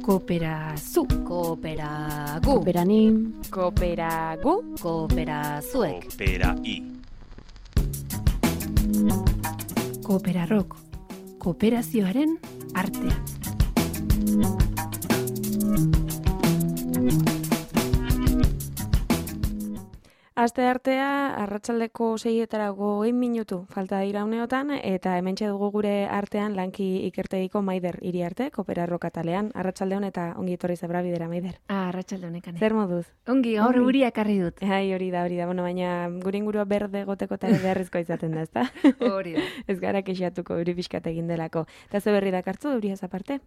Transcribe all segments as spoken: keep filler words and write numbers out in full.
Kooperazu, kooperagu, Kooperanim, kooperagu, kooperazuek, Kooperai. Kooperarok, kooperazioaren artea. Aste artea, arratsaldeko seietarago egin minutu falta dira uneotan, eta hementxe dugu gure artean lanki ikertegiko Maider Iriarte, Kooperarok atalean. Arratsalde hon eta ongi etorri zebra bidera, Maider. Ah, arratsalde honekan. Zer moduz? Ongi, gaur Ongi. euria ekarri dut. Ai, hori da, hori da. Bueno, baina gure ingurua berde goteko eta ere beharrezkoa izaten da, ezta? Hori da. Ez gara kexatuko euri pixkat egin delako. Eta ze berri dakartzu, euriaz aparte?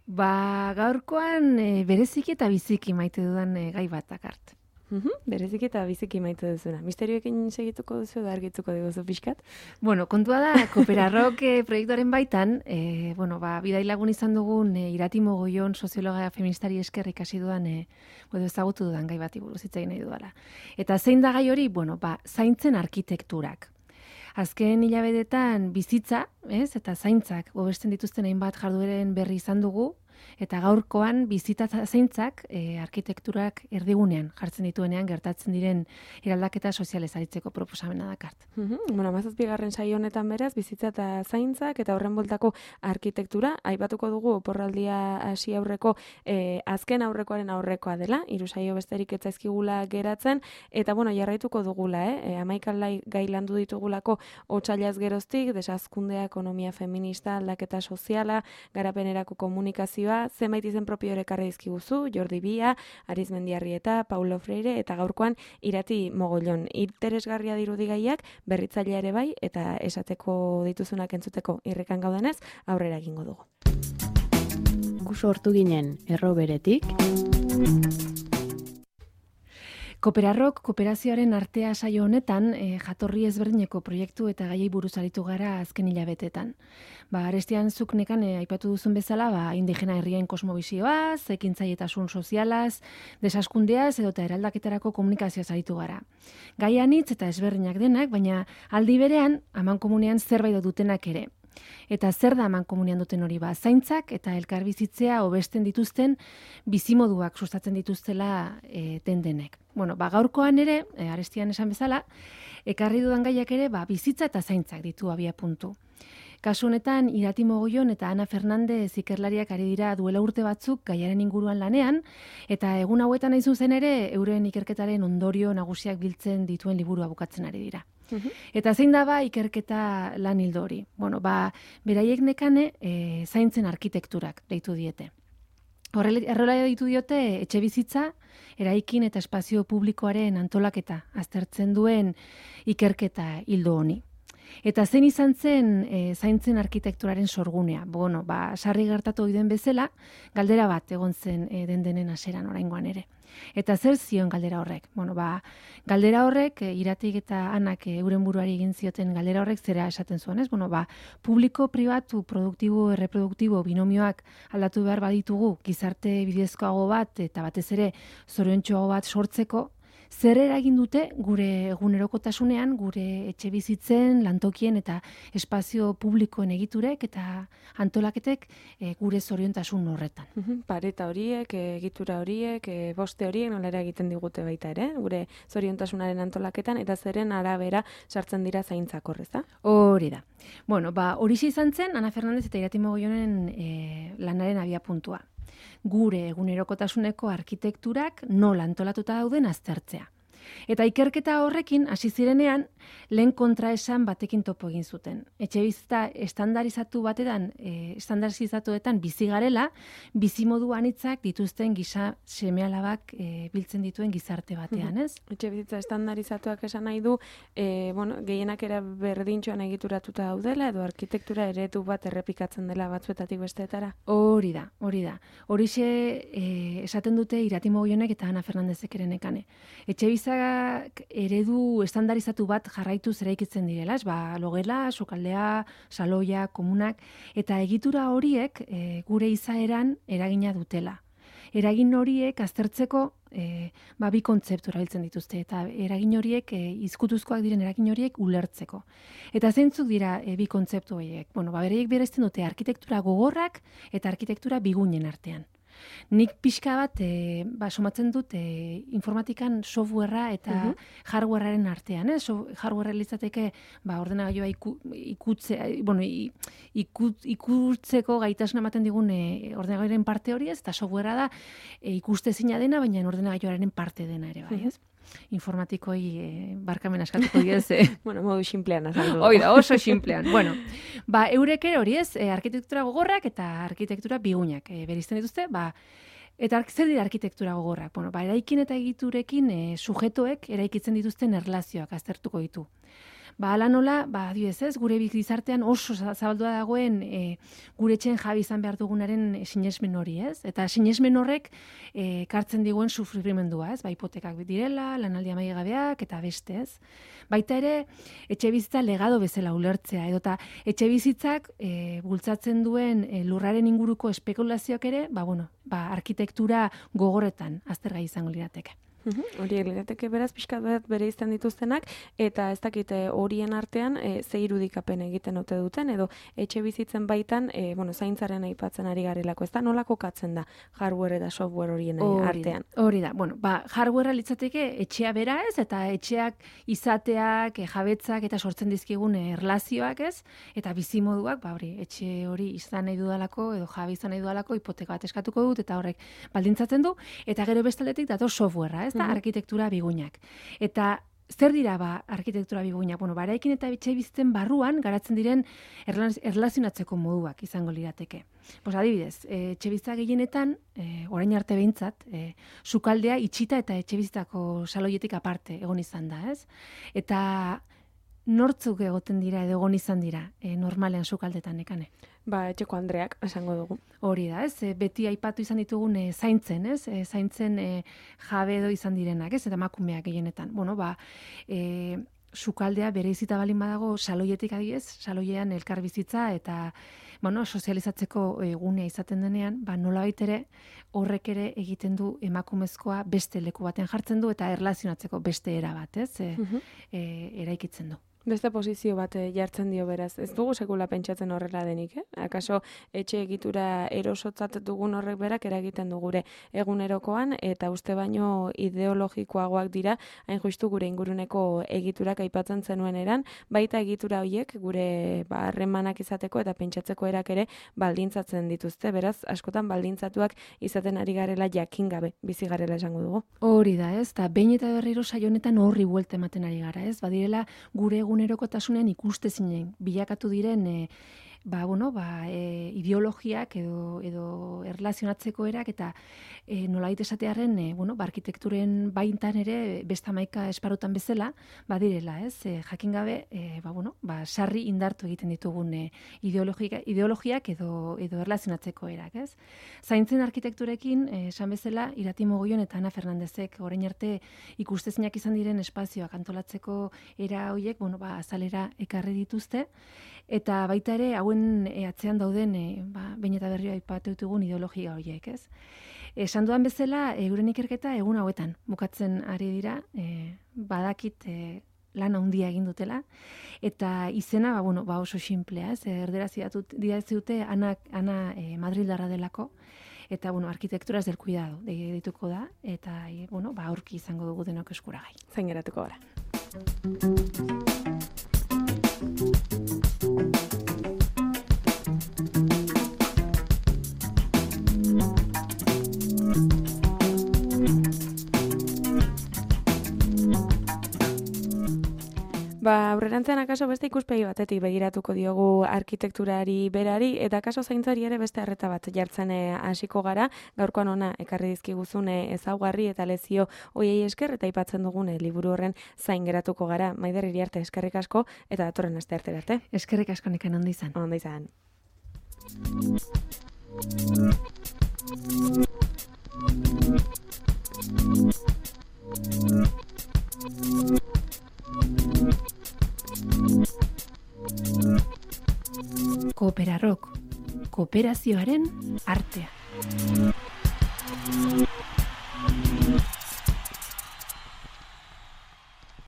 Ba, gaurkoan e, bereziki eta biziki maite dudan e, gai bat dakart. Uhum, bereziki eta biziki maite duzuna. Misterioekin segituko duzu da argituko diguzu pixkat? Bueno, kontua da, Kooperarok e, proiektuaren baitan, e, bueno, ba, bidai lagun izan dugun e, Irati Mogollon soziologa feministari esker ikasi dudan, e, edo ezagutu dudan gai bati buruz hitz egin nahi dudala. Eta zein da gai hori? Bueno, ba, zaintzen arkitekturak. Azken hilabetetan bizitza, ez, eta zaintzak hobesten dituzten hainbat jardueren berri izan dugu, eta gaurkoan bizitza zaintzak e, arkitekturak erdigunean jartzen dituenean gertatzen diren eraldaketa sozialez aritzeko proposamena dakart. Uhum, bueno, hamazazpigarren saio honetan beraz, bizitza eta zaintzak eta horren bueltako arkitektura, aipatuko dugu oporraldia hasi aurreko e, azken aurrekoaren aurrekoa dela, hiru saio besterik ez zaizkigula geratzen, eta bueno, jarraituko dugula, eh? E, hamaikan gai landu ditugulako otsailaz geroztik, desazkundea, ekonomia feminista, aldaketa soziala, garapenerako komunikazioa, zenbait izen propio ere ekarri dizkiguzu, Jordi Bia, Arizmendiarrieta, Paulo Freire eta gaurkoan Irati Mogollon. Interesgarria dirudi gaiak, berritzailea ere bai, eta esateko dituzunak entzuteko irrikan gaudenez, aurrera egingo dugu. Gu sortu ginen erroberetik. Kooperarok kooperazioaren artea saio honetan e, jatorri ezberdineko proiektu eta gaiei buruz aritu gara azken hilabetetan. Ba, arestian zuk nekan e, aipatu duzun bezala, ba, indigena herrien kosmobizioaz, ekintzaietasun sozialaz, desaskundeaz edo eta eraldaketarako komunikazioaz aritu gara. Gai anitz eta ezberdinak denak, baina aldi berean amankomunean zerbait dutenak ere. Eta zer da amankomunean duten hori? Ba, zaintzak eta elkarbizitzea hobesten dituzten bizimoduak sustatzen dituztela e, den denek. Bueno, ba, gaurkoan ere, e, arestian esan bezala, ekarri dudan gaiak ere, ba, bizitza eta zaintzak ditu abia puntu. Kasu honetan, Irati Mogollon eta Ana Fernandez ikerlariak ari dira duela urte batzuk gaiaren inguruan lanean, eta egun hauetan nahi zuzen ere, euren ikerketaren ondorio nagusiak biltzen dituen liburua bukatzen ari dira. Uhum. Eta zein da ba ikerketa lan hildo hori? Bueno, ba, beraiek nekane e, zaintzen arkitekturak deitu diete. Horrela ditu diote etxe bizitza, eraikin eta espazio publikoaren antolaketa aztertzen duen ikerketa hildo honi. Eta zein izan zen e, zaintzen arkitekturaren sorgunea? Bueno, ba, sarri gertatu oiden bezala, galdera bat egon zen e, den denen haseran oraingoan ere. Eta zer zion galdera horrek? Bueno, ba, galdera horrek, e, Iratik eta Anak e, euren buruari egin zioten galdera horrek zera esaten zuen, ez? Bueno, ba, publiko, pribatu, produktibo, erreproduktibo, binomioak aldatu behar baditugu, gizarte bidezkoago bat eta batez ere zoriontsuago bat sortzeko, zer eragin dute gure egunerokotasunean, gure etxe bizitzen, lantokien eta espazio publikoen egiturek eta antolaketek e, gure zoriontasun horretan. Uhum, pareta horiek, egitura horiek, e, boste horiek nolera egiten digute baita ere, gure zoriontasunaren antolaketan, eta zeren arabera sartzen dira zaintzak horreza? Hori da. Bueno, ba, horixe izan zen, Ana Fernandez eta Irati Mogollonen e, lanaren abia puntua. Gure egunerokotasuneko arkitekturak nola antolatuta dauden aztertzea. Eta ikerketa horrekin hasi zirenean lehen kontraesan batekin topo egin zuten. Etxebizitza estandarizatu batetan, e, estandarizatuetan bizi garela, bizimodu anitzak dituzten gisa seme-alabak e, biltzen dituen gizarte batean, ez? Etxebizitza estandarizatuak esan nahi du, e, bueno, gehienak era berdintxoan egituratuta daudela edo arkitektura eredu bat errepikatzen dela batzuetatik besteetara? Hori da, hori da. Horixe e, esaten dute Irati Mogollonek eta Ana Fernandezek ere nekane. Etxebizitza eredu estandarizatu bat jarraituz eraikitzen direla, ez? Ba, logela, sokaldea, saloia, komunak, eta egitura horiek e, gure izaeran eragina dutela. Eragin horiek aztertzeko e, ba, bi kontzeptu erabiltzen dituzte, eta eragin horiek, e, izkutuzkoak diren eragin horiek ulertzeko. Eta zeintzuk dira e, bi kontzeptu horiek? Bueno, ba, bereiek berezten dute arkitektura gogorrak eta arkitektura bigunen artean. Nik pixka bat, e, ba, somatzen dut e, informatikan softwarea eta uh -huh. hardwarearen artean, eh? So, hardwarea litzateke, ba, ordenagailua iku, ikutze, bueno, ikut, ikutzeko gaitasuna ematen digun e, ordenagailuaren parte hori ez, eta softwarea da e, ikustezina dena, baina ordenagailuaren parte dena ere, bai, ez? Informatikoi e, barkamen askatuko diez. E. Bueno, modu simplean azaldu. Oida, oso simplean. Bueno, ba, eurek ere hori ez, e, arkitektura gogorrak eta arkitektura bigunak e, berizten dituzte, ba, eta zer dira arkitektura gogorrak? Bueno, ba, eraikin eta egiturekin e, sujetoek eraikitzen dituzten erlazioak aztertuko ditu. Ba, ala nola, ba, adibidez ez, gure gizartean oso zabaldua dagoen e, gure etxen jabi izan behar dugunaren sinesmen hori, ez? Eta sinesmen horrek e, kartzen diguen sufrimendua, ez? Ba, hipotekak direla, lanaldi amaigabeak eta beste, ez? Baita ere, etxe bizitza legado bezala ulertzea, edota etxe bizitzak e, bultzatzen duen e, lurraren inguruko espekulazioak ere, ba, bueno, ba, arkitektura gogorretan aztergai izango lirateke. Hori lirateke beraz pixkat bat bere izan dituztenak, eta ez dakite horien artean e, ze irudikapen egiten ote duten, edo etxe bizitzen baitan, e, bueno, zaintzaren aipatzen ari garelako, ez da nola kokatzen da hardware eta software horien artean? Hori da, bueno, ba, hardwarea litzateke etxea bera ez, eta etxeak izateak, e, jabetzak eta sortzen dizkigun erlazioak ez, eta bizimoduak, ba, hori, etxe hori izan nahi dudalako, edo jabe izan nahi dudalako, hipoteka bat eskatuko dut, eta horrek baldintzatzen du, eta gero bestaldetik dator softwarea, ez? Da, arkitektura bigunak. Eta zer dira ba arkitektura bigunak? Bueno, ba, eraikin eta etxe bizitzen barruan garatzen diren erlazionatzeko moduak izango lirateke. Pues adibidez, e, etxe bizitza gehienetan, e, orain arte behintzat, e, sukaldea itxita eta etxe bizitzako saloietik aparte egon izan da, ez? Eta nortzuk egoten dira edo egon izan dira, e, normalean sukaldetan nekane? Ba, etxeko Andreak esango dugu. Hori da, ez? E, beti aipatu izan ditugun e, zaintzen, ez? E, zaintzen e, jabe edo izan direnak, ez? Eta emakumeak gehienetan. Bueno, ba, e, sukaldea bere izita balin badago saloietik adiez, saloiean elkar bizitza eta bueno, sozializatzeko egunea izaten denean, ba, nolabait ere horrek ere egiten du emakumezkoa beste leku baten jartzen du eta erlazionatzeko beste era bat, ez? E, uh-huh. e, eraikitzen du. Beste posizio bat jartzen dio beraz. Ez dugu sekula pentsatzen horrela denik, eh? Akaso etxe egitura erosotzat dugun horrek berak eragiten du gure egunerokoan, eta uste baino ideologikoagoak dira, hain justu gure inguruneko egiturak aipatzen zenuen eran, baita egitura horiek gure harremanak izateko eta pentsatzeko erak ere baldintzatzen dituzte. Beraz, askotan baldintzatuak izaten ari garela jakin gabe, bizi garela esango dugu. Hori da, ez? Ta behin eta berriro saio honetan horri buelta ematen ari gara, ez? Badirela gure egunerokotasunean ikustezinen bilakatu diren e, ba, bueno, ba, e, ideologiak edo, edo erlazionatzeko erak eta e, nolait esatearen e, bueno, ba, arkitekturen baintan ere beste hamaika esparutan bezala badirela, ez? E, jakin gabe e, ba, bueno, ba, sarri indartu egiten ditugun e, ideologia, ideologiak edo, edo erlazionatzeko erak, ez? Zaintzen arkitekturekin, e, esan bezala, Irati Mogollon eta Ana Fernandezek orain arte ikustezinak izan diren espazioak antolatzeko era horiek, bueno, ba, azalera ekarri dituzte, eta baita ere hauen e, atzean dauden e, ba, behin eta berriro aipatu ditugun ideologia horiek, ez? Esan dudan bezala, euren ikerketa egun hauetan bukatzen ari dira, e, badakit e, lan handia egin dutela, eta izena ba, bueno, ba oso simplea, ez? Erderaz idatzi dute Ana, Ana e, Madrildarra delako, eta bueno, arkitektura ez del cuidado dituko da, eta e, bueno, ba aurki izango dugu denok eskuragai. Zain geratuko gara. Ba, aurrerantzean akaso beste ikuspegi batetik begiratuko diogu arkitekturari berari, eta akaso zaintzari ere beste arreta bat jartzen hasiko gara, gaurkoan ona ekarri dizkiguzune ezaugarri eta lezio hoiei esker, eta aipatzen dugune liburu horren zain geratuko gara. Maider Iriarte, eskerrik asko, eta datorren aste arte arte. Eskerrik asko, nekan ondo izan. Ondo izan. Kooperarok, kooperazioaren artea.